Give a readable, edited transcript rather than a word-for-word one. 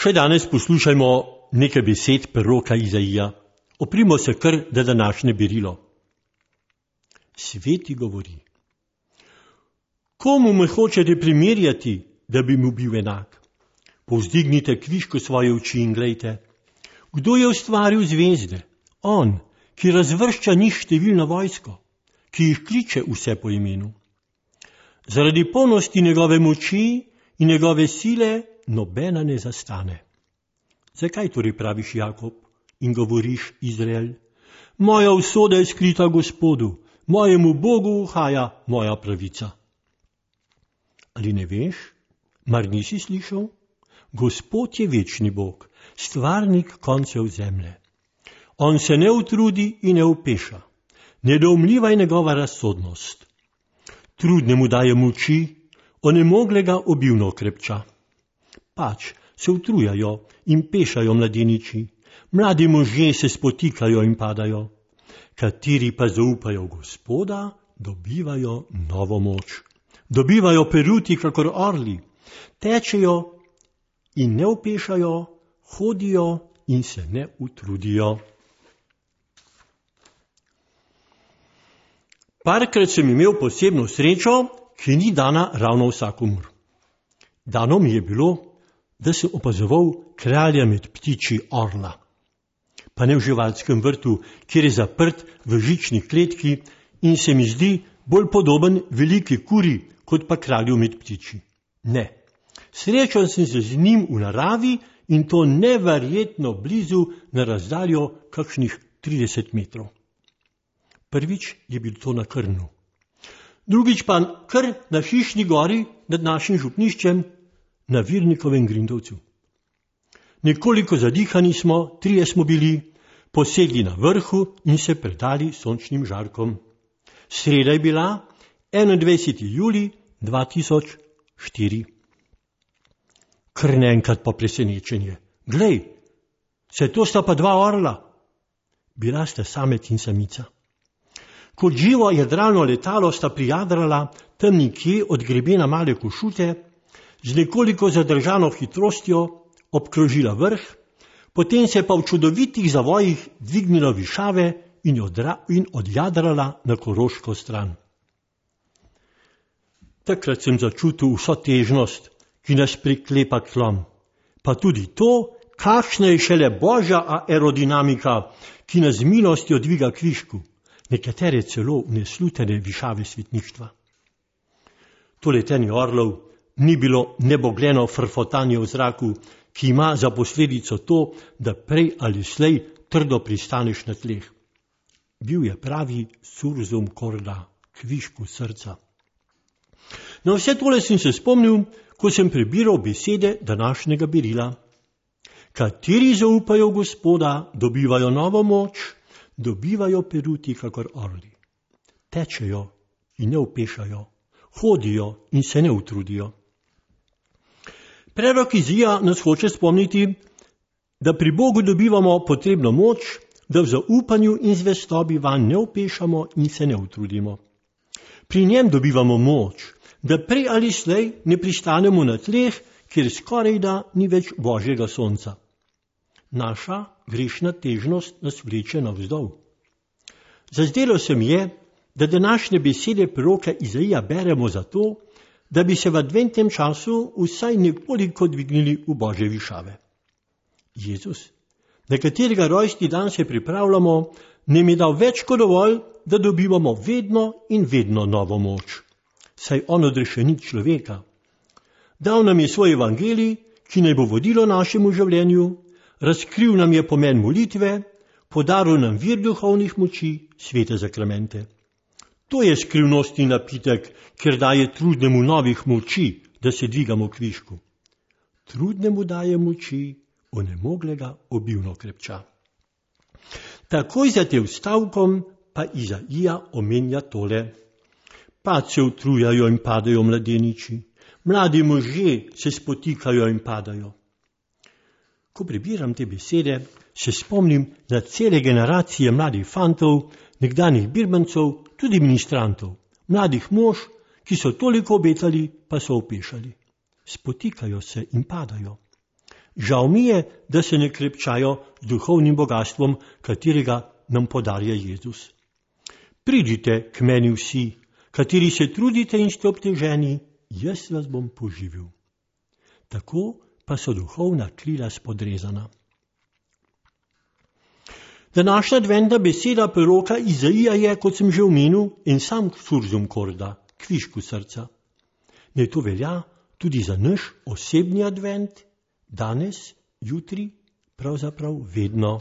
Še danes poslušajmo nekaj besed proroka Izaija. Oprimo se kar da današnje berilo. Sveti govori. Komu me hočete primerjati, da bi mu bil enak? Povzdignite kvišku svoje oči in glejte. Kdo je ustvaril zvezde? On, ki razvršča njih številno vojsko, ki jih kliče vse po imenu. Zaradi polnosti njegove moči in njegove sile nobena ne zastane. Zakaj torej praviš Jakob in govoriš Izrael? Moja usoda je skrita Gospodu, mojemu Bogu uhaja moja pravica. Ali ne veš? Mar nisi slišal? Gospod je večni Bog, stvarnik koncev zemlje. On se ne utrudi in ne upeša. Nedoumljiva je njegova razsodnost. Trudnemu daje moči, onemoglega obilno krepča. Pač se utrujajo in pešajo mladeniči, mladi možje se spotikajo in padajo. Kateri pa zaupajo Gospoda, dobivajo novo moč. Dobivajo peruti kakor orli, tečejo in ne opešajo, hodijo in se ne utrudijo. Parkrat sem imel posebno srečo, ki ni dana ravno vsakomur. Dano mi je bilo, da sem opazoval kralja med ptiči orla. Pa ne v živalskem vrtu, kjer je zaprt v žični kletki in se mi zdi bolj podoben veliki kuri, kot pa kralju med ptiči. Ne, srečal sem se z njim v naravi in to neverjetno blizu na razdaljo kakšnih 30 metrov. Prvič je bil to na Krnu. Drugič pa kar na Hišni gori nad našim župniščem na Virnikovem Grindovcu. Nekoliko zadihani smo, 3 smo bili, posedli na vrhu in se predali sončnim žarkom. Sreda je bila 21. julij 2004. Kar naenkrat pa presenečenje. Glej, saj to sta pa 2 orla. Bila sta samec in samica. Kot živo jadralno letalo sta prijadrala tam nekje od grebena Male Košute, z nekoliko zadržano hitrostjo obkrožila vrh, potem se pa v čudovitih zavojih dvignila višave in odjadrala na koroško stran. Takrat sem začutil vso težnost, ki nas priklepa k tlom, pa tudi to, kakšna je šele božja aerodinamika, ki nas z milostjo dviga kvišku, nekatere celo v neslutene višave svetništva. To letenje orlov ni bilo nebogljeno frfotanje v zraku, ki ima za posledico to, da prej ali slej trdo pristaneš na tleh. Bil je pravi surzum korda, kvišku srca. Na vse tole sem se spomnil, ko sem prebiral besede današnjega berila. Kateri zaupajo Gospoda, dobivajo novo moč, dobivajo peruti kakor orli. Tečejo in ne opešajo, hodijo in se ne utrudijo. Prerok Izaija nas hoče spomniti, da pri Bogu dobivamo potrebno moč, da v zaupanju in zvestobi vanj ne opešamo in se ne utrudimo. Pri njem dobivamo moč, da prej ali slej ne pristanemo na tleh, kjer skorajda ni več božjega sonca. Naša grešna težnost nas vleče navzdol. Zazdelo se mi je, da današnje besede proroka Izaija beremo zato, da bi se v adventnem času vsaj nekoliko dvignili v božje višave. Jezus, na katerega rojstni dan se pripravljamo, nam je dal več kot dovolj, da dobivamo vedno in vedno novo moč. Saj on odrešenik človeka. Dal nam je svoj evangelij, ki naj bo vodilo našemu življenju, razkril nam je pomen molitve, podaril nam vir duhovnih moči, svete zakramente. To je skrivnostni napitek, ker daje trudnemu novih moči, da se dvigamo kvišku. Trudnemu daje moči, onemoglega obilno krepča. Takoj za tem stavkom pa Izaija omenja tole. Pač se utrujajo in padajo mladeniči, mladi možje se spotikajo in padajo. Ko prebiram te besede, se spomnim na cele generacije mladih fantov, nekdanjih birmancov, tudi ministrantov, mladih mož, ki so toliko obetali, pa so opešali. Spotikajo se in padajo. Žal mi je, da se ne krepčajo z duhovnim bogatstvom, katerega nam podarja Jezus. Pridite k meni vsi, kateri se trudite in ste obteženi, jaz vas bom poživil. Tako pa so duhovna krila spodrezana. Današnja adventna beseda proroka Izaija je, kot sem že omenil, en sam surzum korda, kvišku srca. Naj to velja tudi za naš osebni advent, danes, jutri, pravzaprav vedno.